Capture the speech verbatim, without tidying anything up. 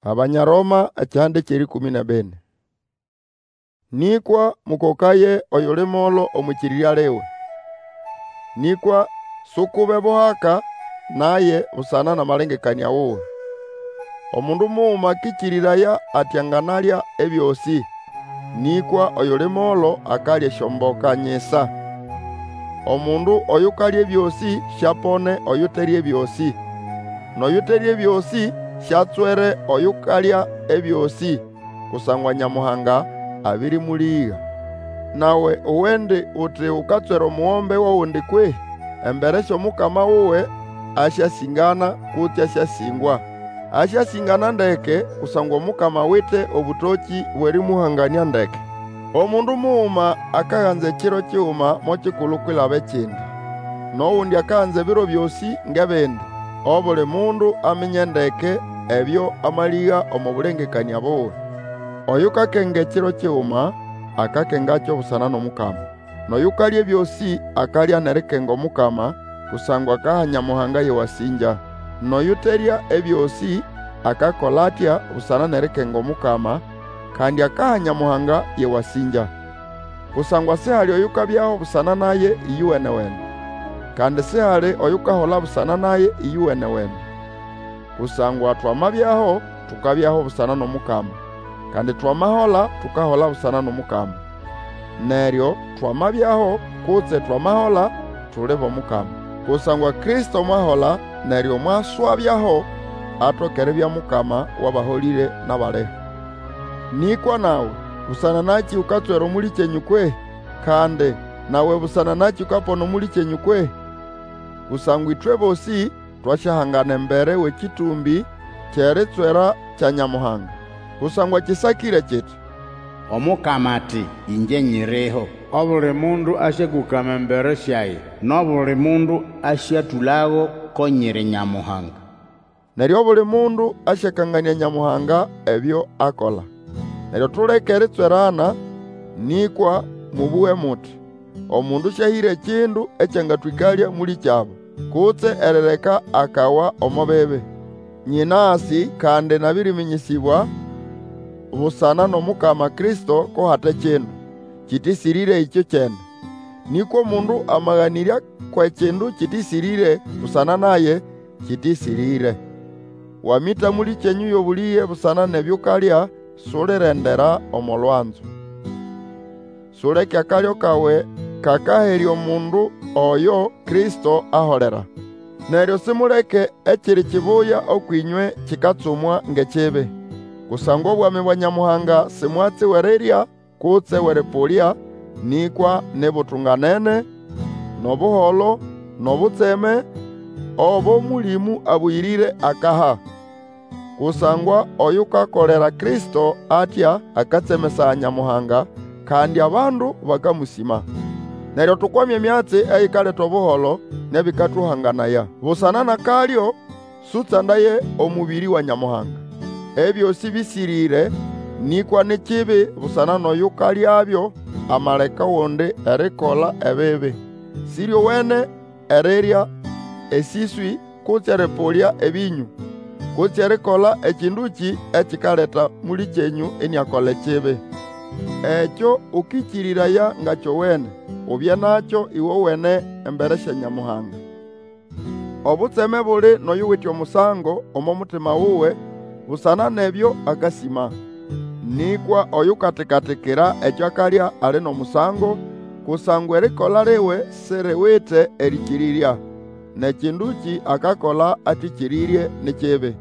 Abanya Roma ekihanda ky'erĩkũmĩ n'ebini. Nĩkwa mũkokaye oyuli molo omw'ĩkĩrĩrya liwe. Nĩkwa sukube buhaka naye busana n'amalengekanĩa wuwe. Omundu muguma akĩkĩrĩraya ati anganalya ebyosĩ, nĩkwa oyuli molo akalya esyomboka nyisa. Omundu oyukalya ebyosĩ siapone oyuterya ebyosĩ, n'oyuterya ebyosĩ siatswere oyukalya ebyosĩ, kusangwa Nyamuhanga abĩrĩmũlĩga. Nawe uwendi uti ukatswera omugombe w'ogundi kwehĩ? Embere sy'omukama wuwe asyasĩngana kutse asyasĩngwa. Asyasĩngana ndeke, kusangwa Omukama awite obũtokĩ bw'erĩmũhanganĩa ndeke. Omundu muguma akaganza ekiro kiguma mo kikulu kwilaba ekindi, n'ogundi akaganza ebiro byosĩ ng'ebindi. Obuli mundu aminye ndeke ebyo amalĩga omo bũlengekanĩa buwe. Oyukakenga ekiro kiguma, akakengakyo busana n'Omukama. N'oyukalya ebyosĩ akalya n'erikenga Omukama, kusangwa akaha Nyamuhanga y'ewasĩngya. N'oyuterya ebyosĩ akakola atya busana n'erikenga Omukama, kandi akaha Nyamuhanga y'ewasĩngya. Kusangwa sihali oyukabyaho busana naye ĩyowene-wene, kandi sihali oyukahola busana naye ĩyowene-wene. Kusangwa twamabyaho, tukabyaho busana n'Omukama, kandi twamahola, tukahola busana n'Omukama. Neryo twamabyaho kutse twamahola, tuli b'Omukama. Kusangwa Kristo mwahola, neryo mwaswabyaho, atoke eribya Mukama w'abaholĩre n'abaliho. Nĩkwa nawe, busana nakĩ ukatswera omũlĩkyenyũ kwehĩ? Kandi nawe busana nakĩ ukapona omũlĩkyenyũ kwehĩ? Kusangwa ĩtwe bosĩ twasyahangana embere w'ekĩtũmbĩ ky'eritswera kya Nyamuhanga. Kusangwa kĩsakĩre kiti, Omukama ati, Ĩngye nyiriho. Obuli mundu asyakũkama embere syage, N'obuli mundu asyatũlago ko nyiri Nyamuhanga. Neryo obuli mundu asyakanganĩa Nyamuhanga ebyo akola. Neryo tuleke eritswerana, nĩkwa mũbũge muti, omundu sĩahĩre ekindu ekyangatwĩkalya mũlĩkyabo, kutse erireka akawa omo bibi. Nyĩnasĩ kandi nabĩrĩmĩnyĩsĩbwa busana n'Omukama Kristo ko hate kindu kĩtĩsĩrĩre ĩkyokyene. Nĩkwa omundu amaganĩrya kw'ekindu kĩtĩsĩrĩre busana naye, kĩtĩsĩrĩre. Wamĩta mũlĩkyenyũ y'obũlĩge busana n'ebyo ukalya, sulirendera omo lwanzo. Suleke akalyo kawe kakaherya omundu oyo Kristo aholera. Neryo simuleke ekiri kibuya ũkw'ĩnywe kikatsumwa ng'ekibi. Kusangwa obwami bwa Nyamuhanga si mwatsi w'erirya kutse w'erĩpũlya, nĩkwa ni butunganene, n'obuholo, n'obutseme obo Mũlĩmũ Abũyĩrĩre akaha. Kusangwa oyukakolera Kristo atya akatsemesaya Nyamuhanga, kandi abandu bakamũsĩma. Neryo tukwame emyatsi eyikaleta obuholo n'ebĩkatũhanganaya. Busana n'akalyo, sũtsandaye omũbĩrĩ wa Nyamuhanga. Ebyosĩ bĩsĩrĩre, nĩkwa ni kibi busana n'oyukalyabyo amaleka ogundi erikola ebibi. Sĩryowene erirya esĩswĩ kutse erĩpũlya ebĩnyũ, kutse erikola ekĩndũkĩ ekikaleta mũlĩkyenyũ iniakola ekibi. Ekyo ũkĩkĩrĩraya nga kyowene, ubye nakyo ĩgowene embere sya Nyamuhanga. Obutseme buli n'oyuwite omusango omo mutima wuwe busana n'ebyo akasĩma. Nĩkwa oyukatikatikira ekyo akalya ali n'omusango, kusangwa erikola liwe siriwite erĩkĩrĩrya, n'ekĩndũkĩ akakola atĩkĩrĩrye ni kibi.